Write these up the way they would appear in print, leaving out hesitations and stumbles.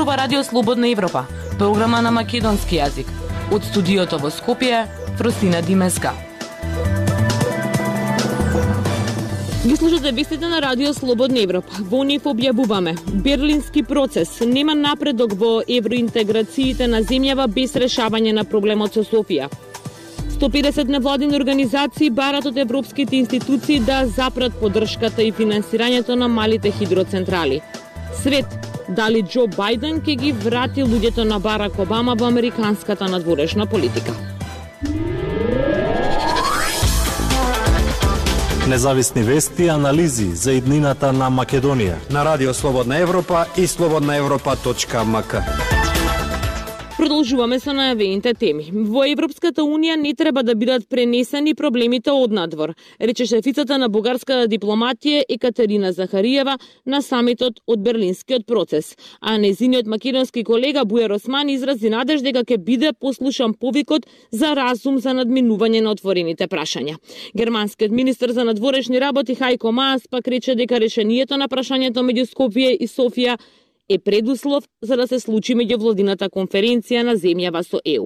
ова Радио Слободна Европа, програма на македонски јазик. Од студиото во Скопје, Фросина Димеска. Ги слушате вестите на Радио Слободна Европа. Во нив објавуваме: Берлински процес, нема напредок во евроинтеграциите на земјава без решавање на проблемот со Софија. 150 невладини организации барат од европските институции да запрат поддршката и финансирањето на малите хидроцентрали. Свет, дали Џо Бајден ќе ги врати луѓето на Барак Обама во американската надворешна политика. Независни вести и анализи за иднината на Македонија на Радио Слободна Европа и slobodnaevropa.mk. Продолжуваме со најавените теми. Во Европската Унија не треба да бидат пренесени проблемите однадвор, рече шефицата на бугарската дипломатија Екатерина Захариева на самитот од Берлинскиот процес. А нејзиниот македонски колега Бујар Османи изрази надеж дека ќе биде послушан повикот за разум за надминување на отворените прашања. Германскиот министер за надворешни работи Хајко Маас пак рече дека решението на прашањето меѓу Скопје и Софија е предуслов за да се случи меѓувладината конференција на земјава со ЕУ.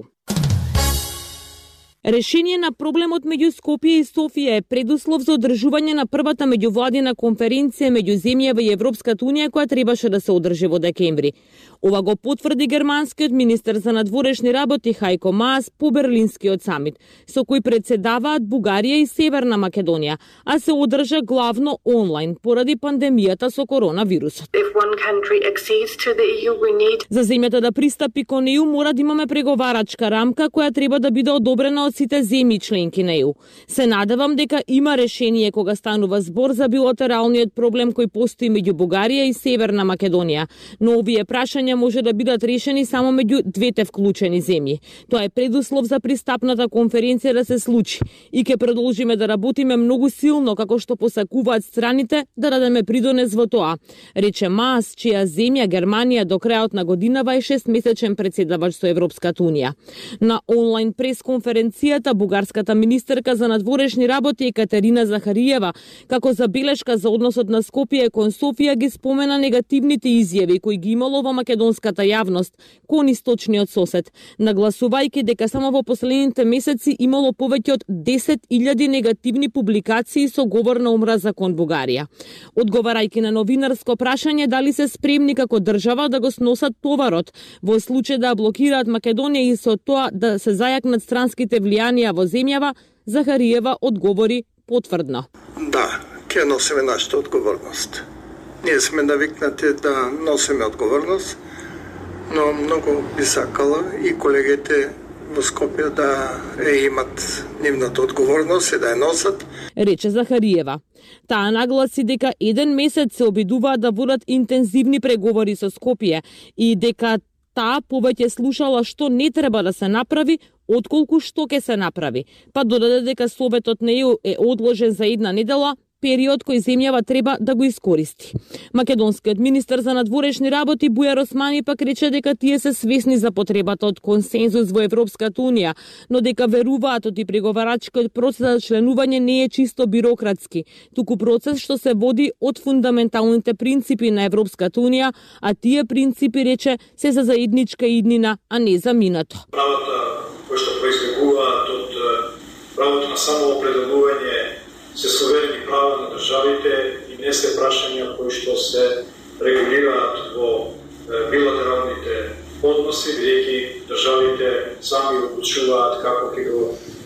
Решение на проблемот меѓу Скопје и Софија е предуслов за одржување на првата меѓувладина конференција меѓу земјава и Европската Унија која требаше да се одржи во декември. Ова го потврди германскиот министер за надворешни работи Хајко Маас по Берлинскиот самит, со кој председаваат Бугарија и Северна Македонија, а се одржа главно онлайн поради пандемијата со коронавирусот. За земјата да пристапи кон ЕУ мора да имаме преговарачка рамка која треба да биде одобрена од сите земји членки на ЕУ. Се надевам дека има решение кога станува збор за билатералниот проблем кој постои меѓу Бугарија и Северна Македонија, но овие прашања може да бидат решени само меѓу двете вклучени земји. Тоа е предуслов за пристапната конференција да се случи и ќе продолжиме да работиме многу силно како што посакуваат страните да дадеме придонес во тоа, рече Маас, чија земја Германија до крајот на годинава е 6-месечен председавач со Европската Унија. На онлайн пресконференцијата бугарската министерка за надворешни работи Екатерина Захариева како забелешка за односот на Скопје кон Софија ги спомена негативните изјави кои ги имало во македонската јавност кон источниот сосед, нагласувајќи дека само во последните месеци имало повеќе од 10.000 негативни публикации со говор на омраза кон Бугарија. Одговарајќи на новинарско прашање дали се спремни како држава да го сносат товарот во случај да блокираат Македонија и со тоа да се зајакнат странските влијанија во земјава, Захариева одговори потврдно. Да, ќе носиме нашата одговорност. Ние сме навикнати да носиме одговорност, но многу би сакала и колегите во Скопје да имат нивната одговорност и да ја носат, рече Захариева. Таа нагласи дека еден месец се обидуваат да водат интензивни преговори со Скопје и дека таа повеќе слушала што не треба да се направи, отколку што ќе се направи. Па додаде дека Советот на ЕУ е одложен за една недела, период кој земјава треба да го искористи. Македонскиот министер за надворешни работи Бујар Османи пак рече дека тие се свесни за потребата од консензус во Европската Унија, но дека веруваат од и преговарачкиот процес за членување не е чисто бирократски, туку процес што се води од фундаменталните принципи на Европската Унија, а тие принципи, рече, се за заедничка иднина, а не за минато. Правата кои што произлегуваат од правото на самоопределување се суверени права на државите и не се прашања кои што се регулираат во билатералните односи, бидејќи државите сами одлучуваат како ќе го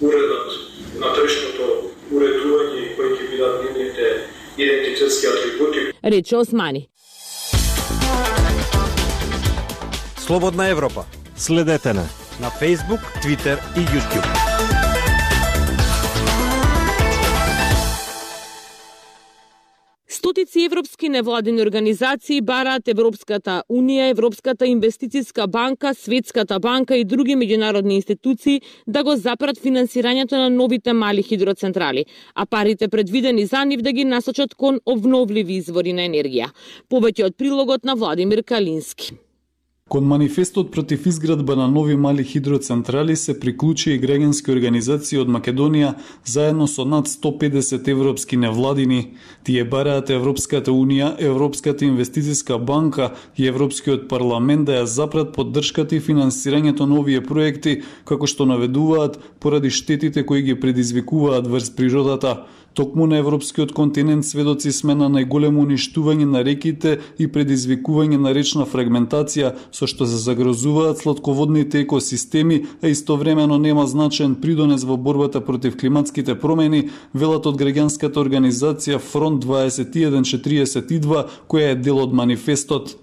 уредат внатрешното уредување и кои ќе бидат нивните идентитетски атрибути. Рече Османи. Слободна Европа. Следете на Facebook, Twitter и YouTube. Стотици европски невладини организации бараат Европската Унија, Европската инвестицијска банка, Светската банка и други меѓународни институции да го запрат финансирањето на новите мали хидроцентрали, а парите предвидени за нив да ги насочат кон обновливи извори на енергија. Повеќе од прилогот на Владимир Калински. Кон манифестот против изградба на нови мали хидроцентрали се приклучи и граѓански организации од Македонија заедно со над 150 европски невладини. Тие бараат Европската Унија, Европската инвестициска банка и Европскиот парламент да ја запрат поддршката и финансирањето на овие проекти, како што наведуваат поради штетите кои ги предизвикуваат врз природата. Токму на европскиот континент сведоци сме на најголемо уништување на реките и предизвикување на речна фрагментација, со што се загрозуваат сладководните екосистеми, а истовремено нема значаен придонес во борбата против климатските промени, велат од граѓанската организација Фронт 2142, која е дел од манифестот.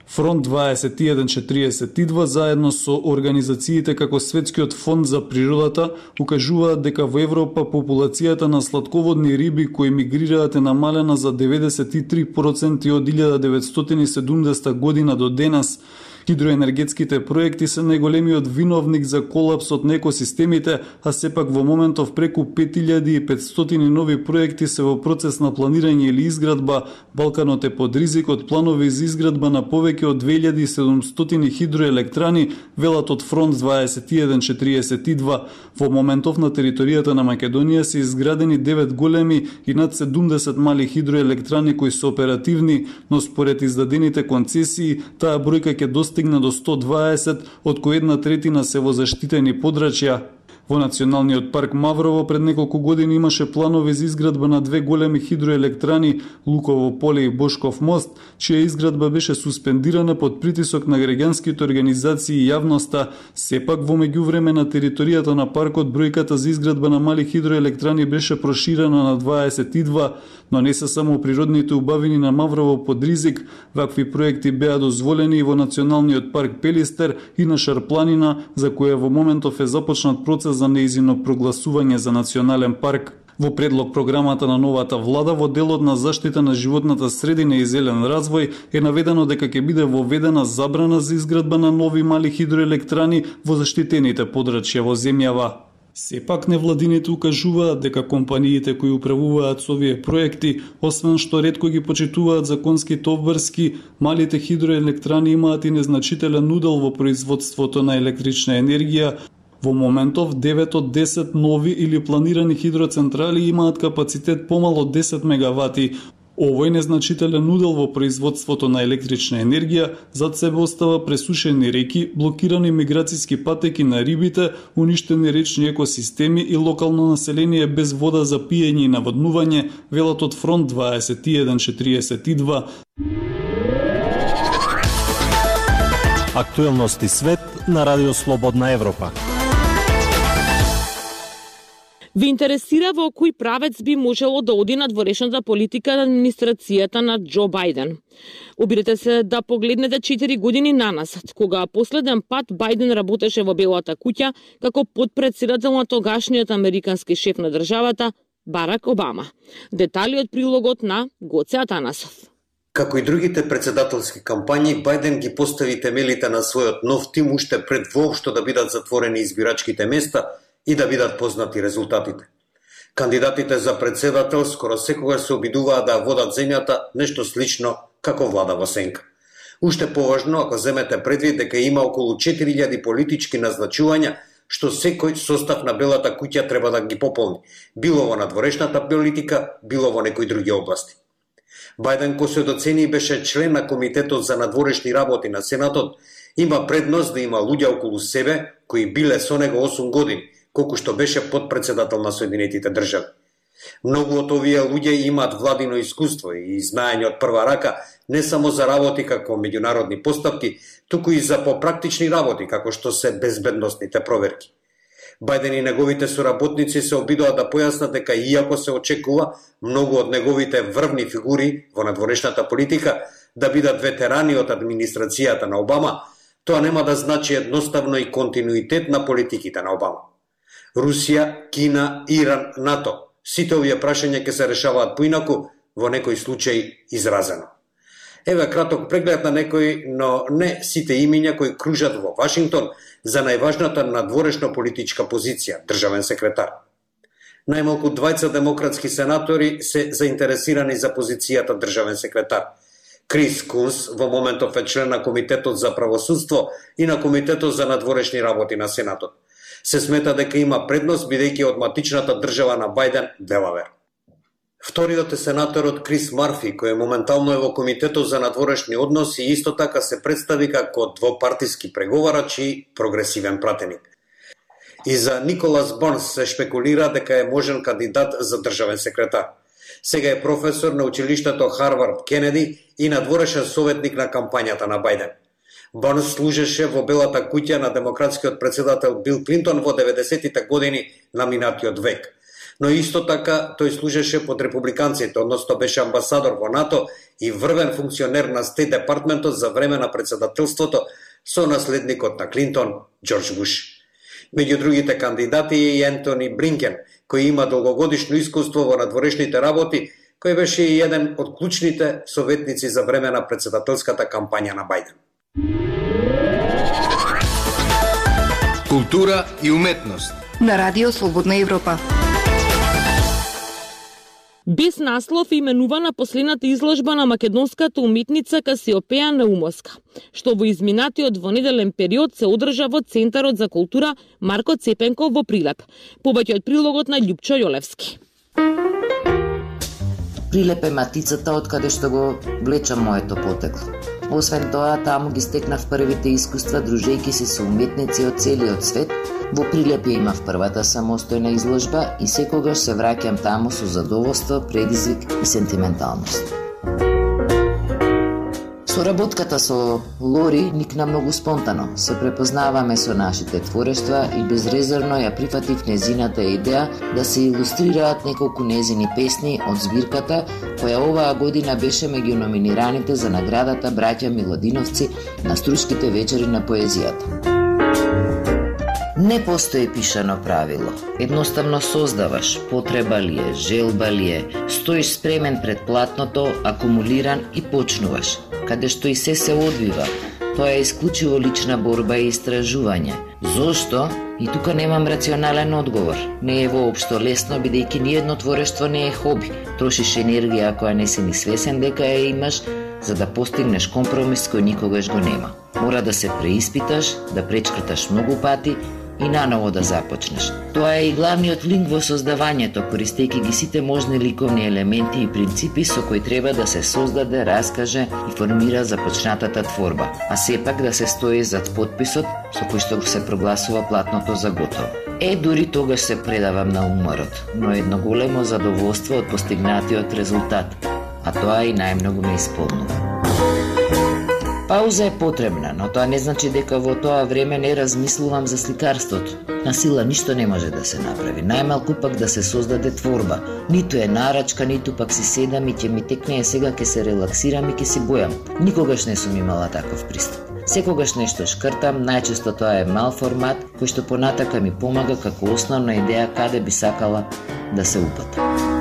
Фронт 2142 заедно со организациите како Светскиот фонд за природата укажуваат дека во Европа популацијата на сладководни риби кои мигрираат е намалена за 93% од 1970 година до денес. Хидроенергетските проекти се најголемиот виновник за колапсот на екосистемите, а сепак во моментов преку 5500 нови проекти се во процес на планирање или изградба. Балканот е под ризик од планови за изградба на повеќе од 2700 хидроелектрани, велат од Фронт 2142. Во моментов на територијата на Македонија се изградени 9 големи и над 70 мали хидроелектрани кои се оперативни, но според издадените концесии, таа бројка ќе достигне до 120, од кои 1/3 се во заштитени подрачја. Во Националниот парк Маврово пред неколку години имаше планови за изградба на 2 големи хидроелектрани, Луково поле и Бошков мост, чија изградба беше суспендирана под притисок на граѓанските организации и јавноста. Сепак во меѓувреме на територијата на паркот бројката за изградба на мали хидроелектрани беше проширена на 22, но не се само природните убавини на Маврово под ризик. Вакви проекти беа дозволени и во Националниот парк Пелистер и на Шарпланина, за која во моментов е започнат процес за неизино прогласување за национален парк. Во предлог програмата на новата влада во делот на заштита на животната средина и зелен развој е наведено дека ќе биде воведена забрана за изградба на нови мали хидроелектрани во заштитените подрачја во земјава. Сепак невладините укажуваат дека компаниите кои управуваат со овие проекти, освен што ретко ги почитуваат законските обврски, малите хидроелектрани имаат и незначителен удел во производството на електрична енергија. Во моментов 9 од 10 нови или планирани хидроцентрали имаат капацитет помало од 10 мегавати. Овој незначителен удел во производството на електрична енергија зад себе остава пресушени реки, блокирани миграцијски патеки на рибите, уништени речни екосистеми и локално население без вода за пиење и наводнување, велат од Фронт 2142. Актуелности свет на Радио Слободна Европа. Ви интересира во кој правец би можело да оди надворешната политика на администрацијата на Џо Бајден? Обидете се да погледнете 4 години наназад, кога последен пат Бајден работеше во Белата куќа како потпредседател на тогашниот американски шеф на државата Барак Обама. Детали од прилогот на Гоце Атанасов. Како и другите председателски кампањи, Бајден ги постави темелите на својот нов тим уште пред воопшто да бидат затворени избирачките места и да бидат познати резултатите. Кандидатите за председател скоро секогаш се обидуваат да водат земјата нешто слично како влада во сенка. Уште поважно ако земете предвид дека има околу 4000 политички назначувања што секој состав на Белата куќа треба да ги пополни, било во надворешната политика, било во некои други области. Бајден, кој се доцени беше член на Комитетот за надворешни работи на Сенатот, има предност да има луѓе околу себе кои биле со него 8 години, колку што беше подпредседател на Соединетите држави. Многу од овие луѓе имаат владино искуство и знаење од прва рака не само за работи како меѓународни постапки, туку и за попрактични работи како што се безбедносните проверки. Бајден и неговите соработници се обидоа да појаснат дека иако се очекува многу од неговите врвни фигури во надворешната политика да бидат ветерани од администрацијата на Обама, тоа нема да значи едноставно и континуитет на политиките на Обама. Русија, Кина, Иран, НАТО, сите овие прашања ќе се решаваат поинаку, во некој случај изразено. Еве краток преглед на некои, но не сите имиња кои кружат во Вашингтон за најважната надворешна политичка позиција, државен секретар. Најмалку 20 демократски сенатори се заинтересирани за позицијата државен секретар. Крис Кунс во моментов е член на Комитетот за правосудство и на Комитетот за надворешни работи на Сенатот. Се смета дека има предност бидејќи од матичната држава на Бајден, Делавер. Вториот е сенаторот Крис Марфи, кој моментално е во Комитетот за надворешни односи и исто така се представи како двопартиски преговарач и прогресивен пратеник. И за Николас Бонс се шпекулира дека е можен кандидат за државен секретар. Сега е професор на училиштето Харвард Кенеди и надворешен советник на кампањата на Бајден. Бонс служеше во Белата куќа на демократскиот председател Бил Клинтон во 90-тите години на минатиот век. Но исто така тој служеше под републиканците, односно беше амбасадор во НАТО и врвен функционер на Стейт департментот за време на председателството со наследникот на Клинтон, Џорџ Буш. Меѓу другите кандидати е и Ентони Блинкен, кој има долгогодишно искуство во надворешните работи, кој беше и еден од клучните советници за време на председателската кампања на Бајден. Култура и уметност на Радио Слободна Европа. Без наслов е именувана последната изложба на македонската уметница Касиопеја Наумовска, што во изминатиот двонеделен период се одржа во Центарот за култура Марко Цепенков во Прилеп. Повеќе од прилогот на Љупчо Јолевски. Прилеп е матицата од каде што го влечам моето потекло. Освен тоа, таму ги стекнав првите искуства дружејќи се со уметници од целиот свет. Во Прилеп ја имав првата самостојна изложба и секогаш се враќам таму со задоволство, предизвик и сентименталност. Соработката со Лори никна многу спонтано. Се препознаваме со нашите творештва и безрезервно ја прифатив незината идеја да се илустрираат неколку незини песни од збирката, која оваа година беше меѓу номинираните за наградата Браќа Милодиновци на Струшките вечери на поезијата. Не постои пишано правило. Едноставно создаваш, потреба ли е, желба ли е, стоиш спремен пред платното, акумулиран и почнуваш. Каде што и се одвива. Тоа е исклучиво лична борба и истражување. Зошто? И тука немам рационален одговор. Не е воопшто лесно, бидејќи ниедно творештво не е хоби. Трошиш енергија која не си ни свесен дека ја имаш, за да постигнеш компромис кој никогаш го нема. Мора да се преиспиташ, да пречкрташ многу пати и наново да започнеш. Тоа е и главниот линк во создавањето, користејќи ги сите можни ликовни елементи и принципи со кои треба да се создаде, раскаже и формира започнатата творба, а сепак да се стои зад подписот со кој што се прогласува платното за готово. Дури тогаш се предавам на уморот, но едно големо задоволство од постигнатиот резултат, а тоа и најмногу ме исполнува. Пауза е потребна, но тоа не значи дека во тоа време не размислувам за сликарството. На сила ништо не може да се направи, најмалку пак да се создаде творба. Ниту е нарачка, ниту пак си седам и ќе ми текне сега ќе се релаксирам и ќе си бојам. Никогаш не сум имала таков пристап. Секогаш нешто шкртам, најчесто тоа е мал формат, кој што понатака ми помага како основна идеја каде би сакала да се упатам.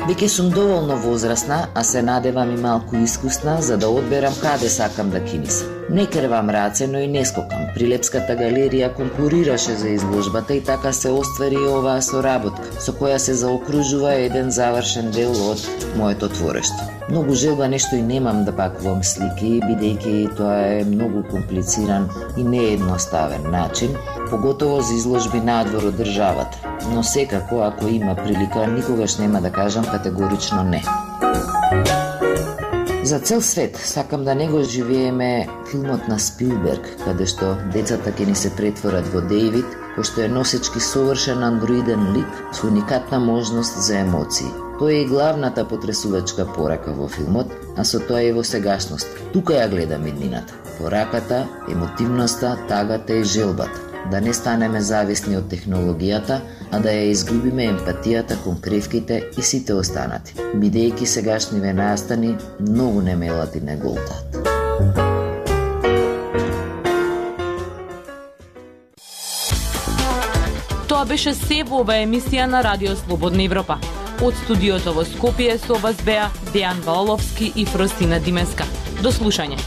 Веќе сум доволно возрасна, а се надевам и малку искусна, за да одберам каде сакам да кинисам. Не крвам раце, но и не скокам. Прилепската галерија конкурираше за изложбата и така се оствари и оваа соработка, со која се заокружува еден завршен дел од моето творештво. Многу желба нешто и немам да пакувам слики, бидејќи тоа е многу комплициран и неедноставен начин, поготово за изложби надвор од државата. Но секако, ако има прилика, никогаш нема да кажам категорично не. За цел свет сакам да не го живееме филмот на Спилберг, каде што децата ќе ни се претворат во Дејвид, кој што е носечки совршен андроиден лик со уникатна можност за емоции. Тоа е и главната потресувачка порака во филмот, а со тоа и во сегашност. Тука ја гледам иднината. Пораката, емотивноста, тагата и желбата. Да не станеме зависни од технологијата, а да ја изгубиме емпатијата кон кревките и сите останати, бидејќи сегашниве настани многу немелати не голтат. Тоа беше се во оваа емисија на Радио Слободна Европа. Од студиото во Скопје со вас беа Дејан Валовски и Фростина Димеска. До слушање.